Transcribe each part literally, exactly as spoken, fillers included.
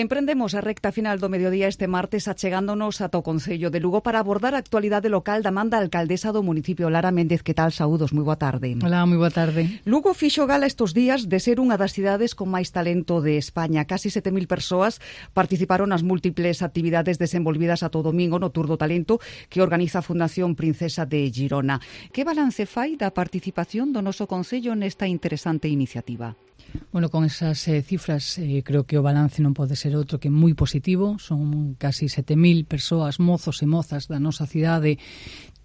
Emprendemos a recta final do mediodía este martes achegándonos ata o Concello de Lugo para abordar a actualidade local da man da alcaldesa do municipio, Lara Méndez. Que tal? Saúdos, moi boa tarde. Hola, moi boa tarde. Lugo fixo gala estes días de ser unha das cidades con máis talento de España. Casi sete mil persoas participaron nas múltiples actividades desenvolvidas ata o domingo no Tour do Talento que organiza a Fundación Princesa de Girona. Que balance fai da participación do noso Concello nesta interesante iniciativa? Bueno, con esas eh, cifras eh, creo que o balance non pode ser outro que moi positivo. Son casi sete mil persoas, mozos e mozas da nosa cidade,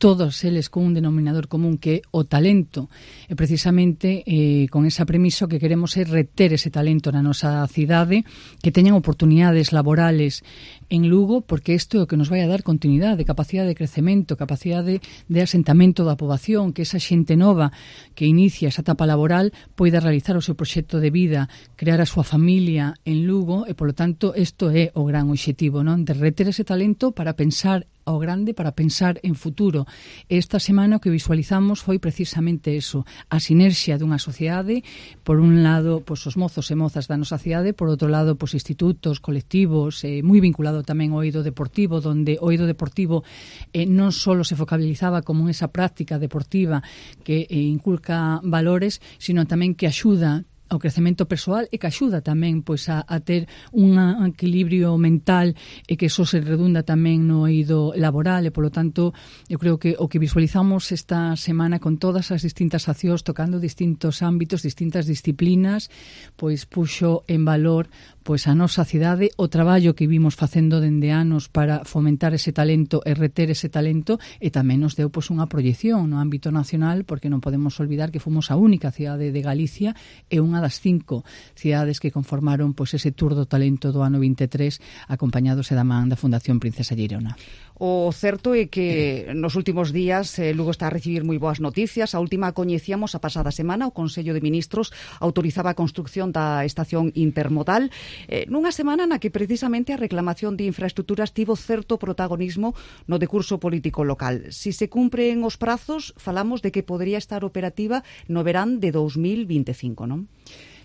todos eles con un denominador común que é o talento. E precisamente eh, con esa premisa que queremos é reter ese talento na nosa cidade, que teñan oportunidades laborales en Lugo, porque isto é o que nos vai a dar continuidade, capacidade de crecemento, capacidade de asentamento da poboación, que esa xente nova que inicia esa etapa laboral poida realizar o seu proxecto de vida, crear a súa familia en Lugo, e polo tanto isto é o gran obxectivo, non? De reter ese talento para pensar ao grande, para pensar en futuro. Esta semana o que visualizamos foi precisamente eso, a sinerxia dunha sociedade, por un lado, pois, os mozos e mozas da nosa cidade, por outro lado, pois, institutos, colectivos, eh, moi vinculado tamén ao eido deportivo, donde o eido deportivo eh, non só se focalizaba como esa práctica deportiva que eh, inculca valores, sino tamén que axuda ao crecemento persoal e que axuda tamén pois a, a ter un equilibrio mental e que eso se redunda tamén no eido laboral e polo tanto eu creo que o que visualizamos esta semana con todas as distintas accións tocando distintos ámbitos, distintas disciplinas, pois puxo en valor pois a nosa cidade, o traballo que vimos facendo dende anos para fomentar ese talento e reter ese talento, e tamén nos deu pois unha proyección no ámbito nacional, porque non podemos olvidar que fomos a única cidade de Galicia e unha das cinco cidades que conformaron pois ese Tour do Talento do ano vinte e tres, acompañados da man da Fundación Princesa Girona. O certo é que nos últimos días eh, Lugo está a recibir moi boas noticias. A última coñecíamos a pasada semana, o Consello de Ministros autorizaba a construcción da estación intermodal, eh, nunha semana na que precisamente a reclamación de infraestructuras tivo certo protagonismo no decurso político local. Si se cumpren os prazos, falamos de que podría estar operativa no verán de dous mil vinte e cinco, non?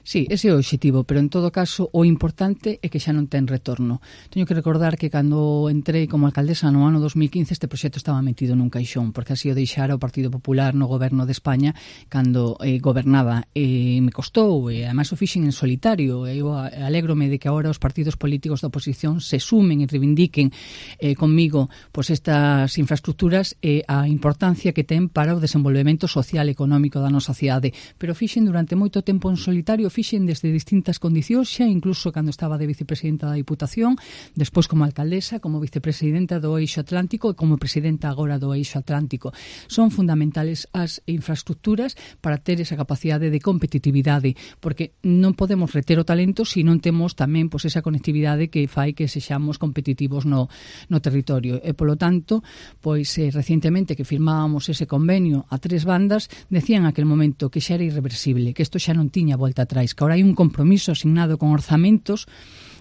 Sí, ese é o obxectivo, pero en todo caso o importante é que xa non ten retorno. Teño que recordar que cando entrei como alcaldesa no ano dos mil quince este proxecto estaba metido nun caixón, porque así o deixara o Partido Popular no goberno de España cando eh, gobernaba. E me costou, e ademais o fixen en solitario. Eu alégrome de que agora os partidos políticos da oposición se sumen e reivindiquen eh, conmigo pois estas infraestructuras e a importancia que ten para o desenvolvemento social e económico da nosa cidade. Pero fixen durante moito tempo en solitario, fixen desde distintas condicións, xa incluso cando estaba de vicepresidenta da Diputación, despois como alcaldesa, como vicepresidenta do Eixo Atlántico e como presidenta agora do Eixo Atlántico. Son fundamentales as infraestructuras para ter esa capacidade de competitividade, porque non podemos reter o talento se non temos tamén pois, esa conectividade que fai que sexamos competitivos no, no territorio. E, polo tanto, pois eh, recientemente que firmábamos ese convenio a tres bandas, decían en aquel momento que xa era irreversible, que isto xa non tiña volta atrás, que ahora hai un compromiso asignado con orzamentos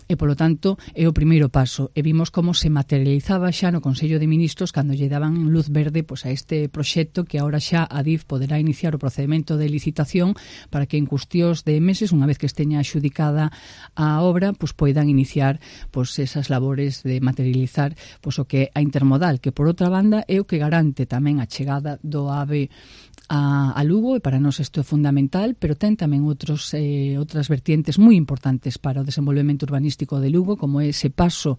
e, polo tanto, é o primeiro paso. E vimos como se materializaba xa no Consello de Ministros cando lle daban luz verde pois, a este proxecto que agora xa a D I F poderá iniciar o procedimento de licitación para que en cuestións de meses, unha vez que esteña axudicada a obra, pois poidan iniciar pois, esas labores de materializar pois, o que é a intermodal, que por outra banda é o que garante tamén a chegada do AVE a, a Lugo, e para nós isto é fundamental, pero ten tamén outros, eh, outras vertientes moi importantes para o desenvolvemento urbanístico de Lugo, como é ese paso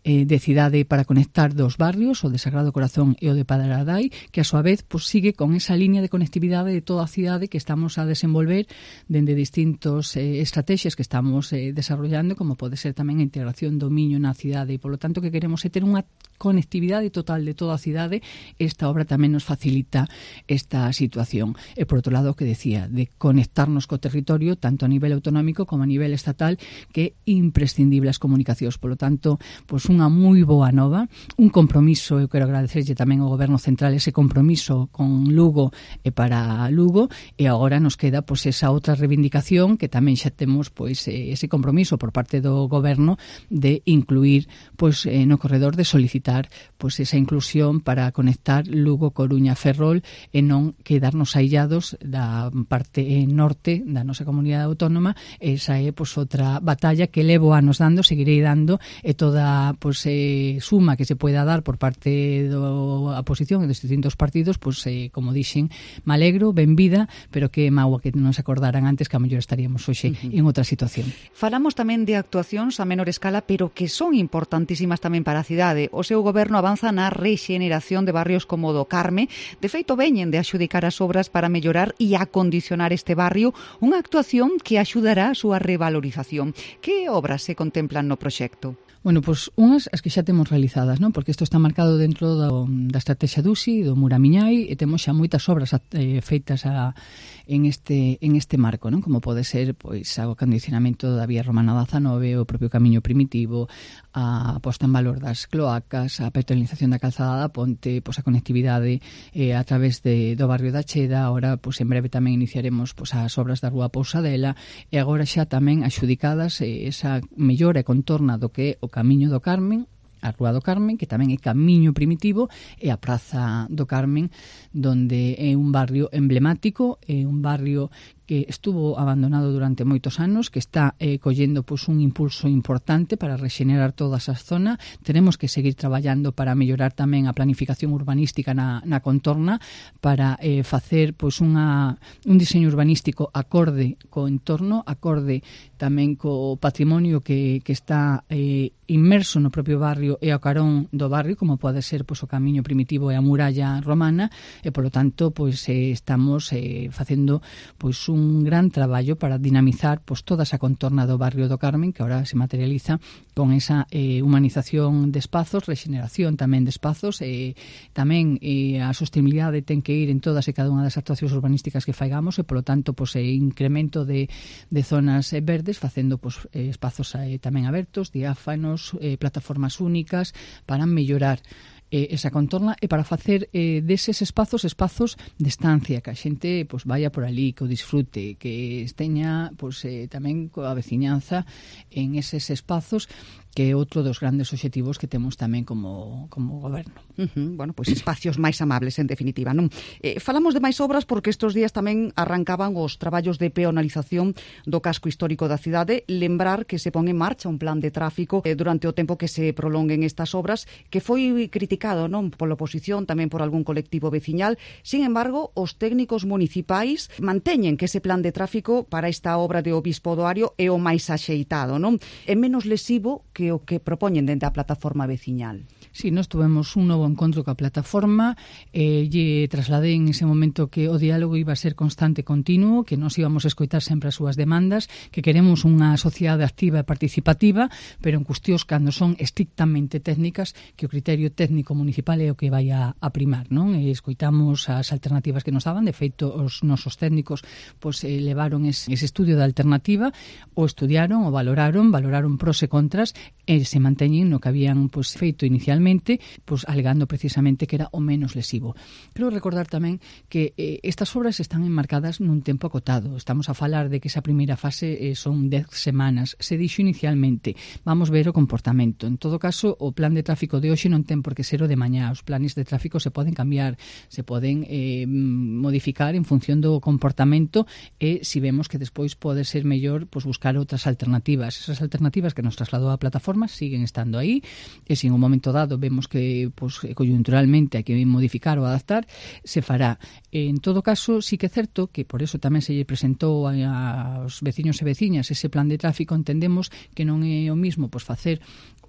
eh, de cidade para conectar dos barrios, o de Sagrado Corazón e o de Padradai, que a súa vez pues, sigue con esa línea de conectividade de toda a cidade que estamos a desenvolver dende distintos eh, estrategias que estamos eh, desarrollando, como pode ser tamén a integración do Miño na cidade, e polo tanto que queremos é ter unha conectividade total de toda a cidade. Esta obra tamén nos facilita esta situación. E por outro lado, o que decía, de conectarnos co territorio, tanto a nivel autonómico como a nivel estatal, que é imprescindible as comunicacións. Por lo tanto, pois unha moi boa nova, un compromiso, eu quero agradecerlle tamén ao Goberno Central ese compromiso con Lugo e para Lugo, e agora nos queda pois esa outra reivindicación que tamén xa temos pois ese compromiso por parte do Goberno de incluir pois no corredor, de solicitar pois esa inclusión para conectar Lugo, Coruña, Ferrol e non quedarnos aillados da parte norte da nosa comunidade autónoma. Esa é pois outra batalla que levo anos seguimos dando, seguirei dando, e toda pues, eh, suma que se pueda dar por parte da oposición e dos distintos partidos, pues, eh, como dixen, me alegro, benvida, pero que mágoa que non se acordaran antes, que a mellor estaríamos hoxe uh-huh. en outra situación. Falamos tamén de actuacións a menor escala, pero que son importantísimas tamén para a cidade. O seu goberno avanza na rexeneración de barrios como do Carme. De feito, veñen de axudicar as obras para mellorar e acondicionar este barrio, unha actuación que axudará a súa revalorización. Que obras se contemplan no proxecto? Bueno, pois pues, unhas as que xa temos realizadas, non? Porque isto está marcado dentro do, da estrategia D U S I, do Muramiñai, e temos xa moitas obras eh, feitas a, en este en este marco, non? Como pode ser pois o acondicionamento da vía Romana dezanove, o propio camiño primitivo, a posta en valor das cloacas, a peatonalización da calzada da ponte, pois a conectividade eh, a través de, do barrio da Cheda. Ahora, pois en breve tamén iniciaremos pois as obras da Rúa Pousadela, e agora xa tamén axudicadas eh, esa mellora e contorna do que é o Camiño do Carmen, a Rúa do Carmen, que tamén é camiño primitivo, e a Praza do Carmen, donde é un barrio emblemático, é un barrio que estuvo abandonado durante moitos anos, que está eh, collendo pois, un impulso importante para rexenerar toda esa zona. Tenemos que seguir traballando para mellorar tamén a planificación urbanística na, na contorna, para eh, facer pois, unha, un diseño urbanístico acorde co entorno, acorde tamén co patrimonio que, que está eh, inmerso no propio barrio e ao carón do barrio, como pode ser pois, o camiño primitivo e a muralla romana, e polo tanto pois, eh, estamos eh, facendo pois, un gran traballo para dinamizar pois, toda esa contorna do barrio do Carmen, que ahora se materializa con esa eh, humanización de espazos, rexeneración tamén de espazos, e eh, tamén eh, a sostenibilidade ten que ir en todas e cada unha das actuacións urbanísticas que faigamos, e polo tanto pois, eh, incremento de, de zonas eh, verdes, facendo pois, eh, espazos eh, tamén abertos, diáfanos, eh, plataformas únicas, para mellorar eh, esa contorna e para facer eh, deses espazos espazos de estancia, que a xente pois, vaya por ali, que o disfrute, que esteña pois, eh, tamén coa veciñanza en eses espazos, que é outro dos grandes obxectivos que temos tamén como, como goberno. Uh-huh. Bueno, pois espacios máis amables, en definitiva, non? Eh, falamos de máis obras porque estes días tamén arrancaban os traballos de peonalización do casco histórico da cidade. Lembrar que se pon en marcha un plan de tráfico eh, durante o tempo que se prolonguen estas obras, que foi criticado non pola oposición, tamén por algún colectivo veciñal. Sin embargo, os técnicos municipais manteñen que ese plan de tráfico para esta obra de Obispo do Ario é o máis axeitado, non? É menos lesivo que o que propoñen dentro da plataforma veciñal. Sí, nós tuvemos un novo encontro coa plataforma, e lle trasladei en ese momento que o diálogo iba a ser constante e continuo, que nos íbamos a escoitar sempre as súas demandas, que queremos unha sociedade activa e participativa, pero en cuestións cando son estrictamente técnicas, que o criterio técnico municipal é o que vai a, a primar, non? E escoitamos as alternativas que nos daban. De feito, os nosos técnicos pois, eh, levaron ese, ese estudio da alternativa, o estudiaron, o valoraron, valoraron pros e contras, e se manteñen no que habían pois, feito inicialmente, pois, alegando precisamente que era o menos lesivo. Quero recordar tamén que eh, estas obras están enmarcadas nun tempo acotado. Estamos a falar de que esa primeira fase eh, son dez semanas. Se dixo inicialmente, vamos ver o comportamento. En todo caso, o plan de tráfico de hoxe non ten por que ser o de mañá. Os planes de tráfico se poden cambiar, se poden eh, modificar en función do comportamento, e se vemos que despois pode ser mellor pois, buscar outras alternativas. Esas alternativas que nos trasladou a plataforma siguen estando aí, e se en un momento dado vemos que pues, coyunturalmente hai que modificar ou adaptar, se fará. En todo caso, sí que é certo que por eso tamén se lle presentou aos veciños e veciñas ese plan de tráfico. Entendemos que non é o mismo pues, facer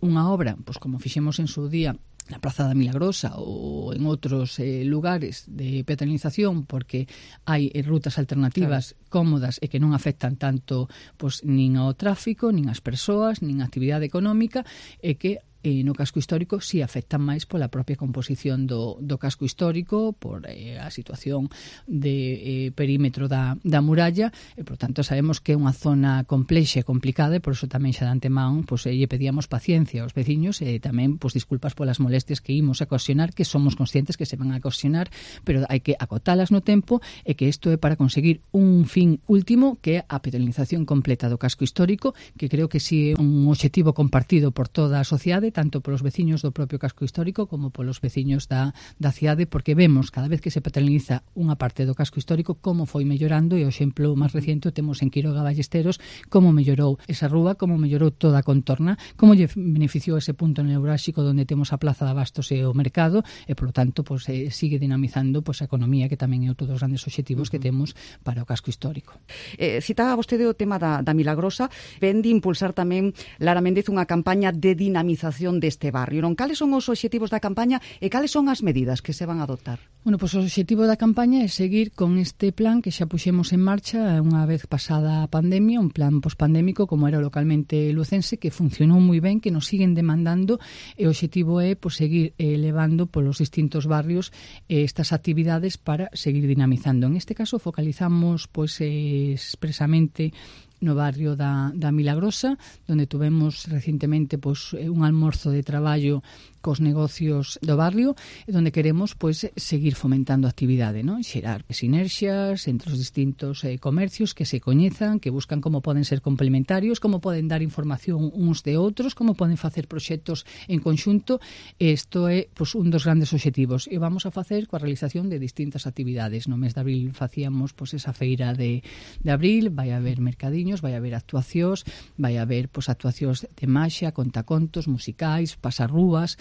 unha obra, pues, como fixemos en su día na Praza da Milagrosa ou en outros eh, lugares de peatonalización, porque hai eh, rutas alternativas claro. cómodas e que non afectan tanto pues, nin ao tráfico, nin ás persoas, nin á actividade económica, e que e no casco histórico si afectan máis pola propia composición do, do casco histórico, por eh, a situación de eh, perímetro da, da muralla, e por tanto sabemos que é unha zona complexa e complicada, e por eso tamén xa de antemán pues, eh, lle pedíamos paciencia aos veciños, e tamén pues, disculpas polas molestias que imos a ocasionar, que somos conscientes que se van a ocasionar, pero hai que acotalas no tempo, e que isto é para conseguir un fin último, que é a peatonalización completa do casco histórico, que creo que si é un obxectivo compartido por toda a sociedade, tanto polos veciños do propio casco histórico como polos veciños da, da cidade, porque vemos cada vez que se paternaliza unha parte do casco histórico como foi mellorando, e o exemplo máis reciente temos en Quiroga Ballesteros como mellorou esa rúa, como mellorou toda a contorna, como lle beneficiou ese punto neurálxico onde temos a Plaza de Abastos e o mercado, e polo tanto pues, eh, sigue dinamizando pues, a economía, que tamén é outro dos grandes obxectivos que temos para o casco histórico. Eh, citaba vostede o tema da, da Milagrosa, ven de impulsar tamén Lara Méndez unha campaña de dinamización deste barrio. Non, cales son os obxectivos da campaña e cales son as medidas que se van a adoptar? Bueno, pois pues, o obxectivo da campaña é seguir con este plan que xa puxemos en marcha unha vez pasada a pandemia, un plan pospandémico como era localmente lucense, que funcionou moi ben, que nos siguen demandando, e o obxectivo é pues, seguir elevando polos distintos barrios eh, estas actividades para seguir dinamizando. En este caso focalizamos pues, eh, expresamente no barrio da, da Milagrosa, donde tuvemos recentemente pues, un almorzo de traballo cos negocios do barrio, donde queremos pues, seguir fomentando a actividade, ¿no? Xerar sinerxias entre os distintos eh, comercios que se coñezan, que buscan como poden ser complementarios, como poden dar información uns de outros, como poden facer proxectos en conxunto. Isto é pues, un dos grandes obxectivos, e vamos a facer coa realización de distintas actividades. No mes de abril facíamos pues, esa feira de, de abril, vai haber mercadiños, vai haber actuacións, vai haber pues, actuacións de maxia, contacontos, musicais, pasarrúas.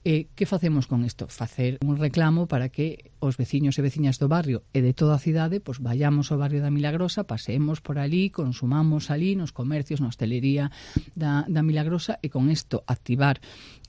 E que facemos con isto? Facer un reclamo para que os veciños e veciñas do barrio e de toda a cidade pues, vayamos ao barrio da Milagrosa, paseemos por ali, consumamos ali nos comercios, na hostelería da, da Milagrosa, e con isto activar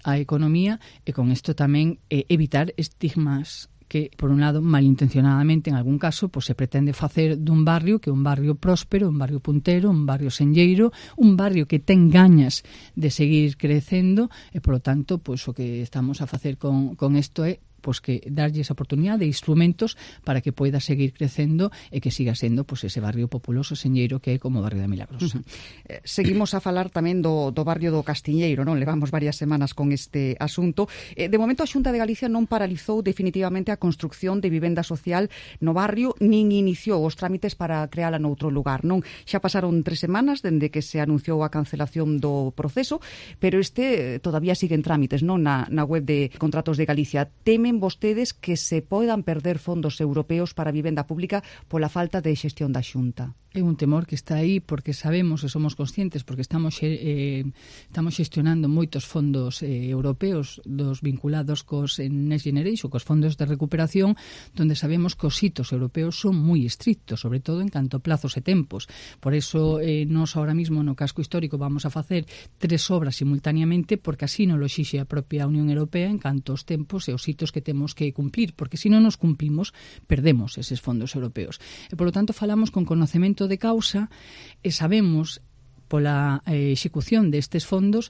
a economía, e con isto tamén eh, evitar estigmas que, por un lado, malintencionadamente, en algún caso, pues, se pretende facer dun barrio que é un barrio próspero, un barrio puntero, un barrio senlleiro, un barrio que ten gañas de seguir crecendo, e, polo tanto, pues, o que estamos a facer con, con isto é pues que darlle esa oportunidade de instrumentos para que poida seguir crecendo e que siga sendo pues, ese barrio populoso señeiro que é como o barrio da Milagrosa. Uh-huh. eh, seguimos a falar tamén do, do barrio do Castiñeiro, non? Levamos varias semanas con este asunto. Eh, de momento a Xunta de Galicia non paralizou definitivamente a construcción de vivenda social no barrio, nin iniciou os trámites para creala noutro lugar, non? Xa pasaron tres semanas dende que se anunciou a cancelación do proceso, pero este eh, todavía sigue en trámites, non? Na, na web de Contratos de Galicia. Temen vostedes que se poidan perder fondos europeos para a vivenda pública pola falta de xestión da Xunta? É un temor que está aí porque sabemos e somos conscientes, porque estamos eh, estamos xestionando moitos fondos eh, europeos dos vinculados cos Next Generation, cos fondos de recuperación, donde sabemos que os hitos europeos son moi estrictos, sobre todo en canto a plazos e tempos. Por eso, eh, nos ahora mismo no casco histórico vamos a facer tres obras simultaneamente, porque así non lo exixe a propia Unión Europea en canto aos tempos e os hitos que temos que cumplir, porque se non nos cumplimos, perdemos eses fondos europeos. E, polo tanto, falamos con conocemento de causa e sabemos pola eh, execución destes fondos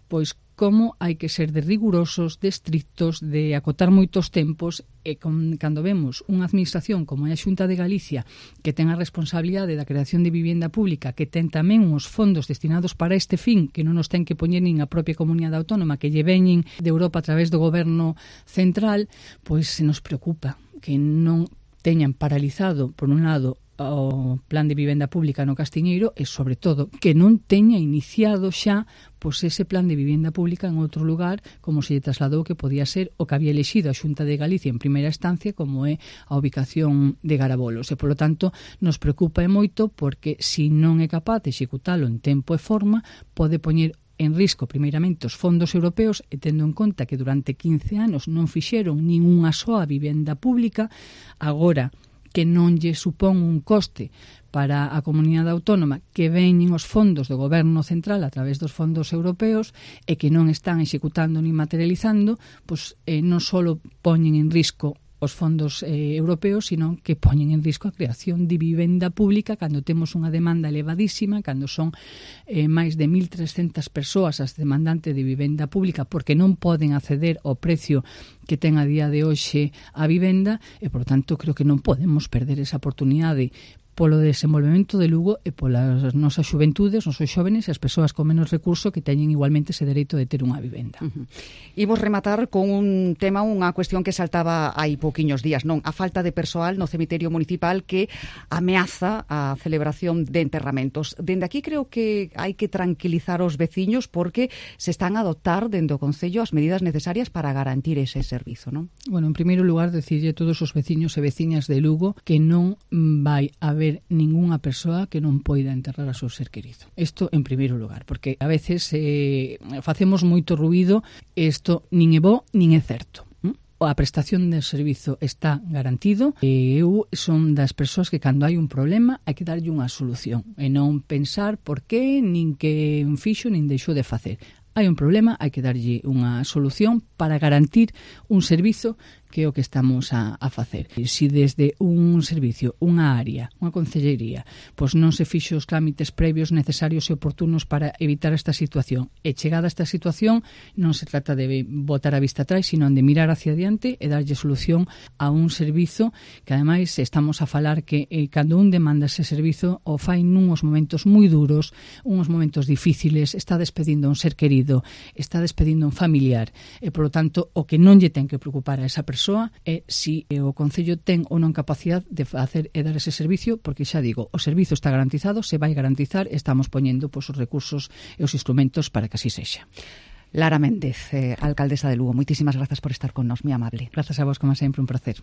pois como hai que ser de rigurosos, de estrictos, de acotar moitos tempos, e con, cando vemos unha administración como é a Xunta de Galicia que ten a responsabilidade da creación de vivienda pública, que ten tamén uns fondos destinados para este fin, que non nos ten que poñer nin a propia comunidade autónoma, que lle veñen de Europa a través do goberno central, pois se nos preocupa que non teñan paralizado, por un lado, o plan de vivenda pública no Castiñeiro, e sobre todo que non teña iniciado xa pois ese plan de vivenda pública en outro lugar, como se lle trasladou que podía ser o que había elexido a Xunta de Galicia en primeira instancia, como é a ubicación de Garabolos. E, polo tanto, nos preocupa e moito porque se non é capaz de executalo en tempo e forma, pode poñer en risco, primeiramente, os fondos europeos, e tendo en conta que durante quince anos non fixeron nin unha soa vivenda pública, agora que non lle supón un coste para a comunidade autónoma que veñen os fondos do goberno central a través dos fondos europeos e que non están executando ni materializando, pois eh, non só poñen en risco os fondos eh, europeos, sino que poñen en risco a creación de vivenda pública cando temos unha demanda elevadísima, cando son eh, máis de mil trescentas persoas as demandantes de vivenda pública porque non poden acceder ao precio que ten a día de hoxe a vivenda, e, por tanto, creo que non podemos perder esa oportunidade polo desenvolvemento de Lugo e polas nosas xuventudes, nosos xóvenes e as persoas con menos recurso que teñen igualmente ese dereito de ter unha vivenda. Uh-huh. Imos rematar con un tema, unha cuestión que saltaba hai pouquiños días, non? A falta de persoal no cemiterio municipal que ameaza a celebración de enterramentos. Dende aquí creo que hai que tranquilizar os veciños porque se están a adoptar dende o Concello as medidas necesarias para garantir ese servizo, non? Bueno, en primeiro lugar, decirlle a todos os veciños e veciñas de Lugo que non vai haber ningunha persoa que non poida enterrar a seu ser querido. Isto en primeiro lugar, porque a veces eh, facemos moito ruído e isto nin é bo nin é certo. A prestación de servizo está garantido e eu son das persoas que cando hai un problema hai que darlle unha solución e non pensar por qué, nin que fixo, nin deixou de facer. Hai un problema, hai que darlle unha solución para garantir un servizo que é o que estamos a, a facer. E se desde un servicio, unha área, unha concellería, pois non se fixo os trámites previos necesarios e oportunos para evitar esta situación, e chegada a esta situación non se trata de botar a vista atrás, sino de mirar hacia adiante e darlle solución a un servizo que ademais estamos a falar que eh, cando un demanda ese servizo o fai nuns momentos moi duros, uns momentos difíciles, está despedindo un ser querido, está despedindo un familiar, e polo tanto o que non lle ten que preocupar a esa persoa é si o Concello ten ou non capacidade de facer e dar ese servicio, porque xa digo, o servizo está garantizado, se vai garantizar, estamos poñendo pois, os recursos e os instrumentos para que así sexa. Lara Méndez, eh, alcaldesa de Lugo, moitísimas grazas por estar con nós, moi amable. Grazas a vos, como sempre, un placer.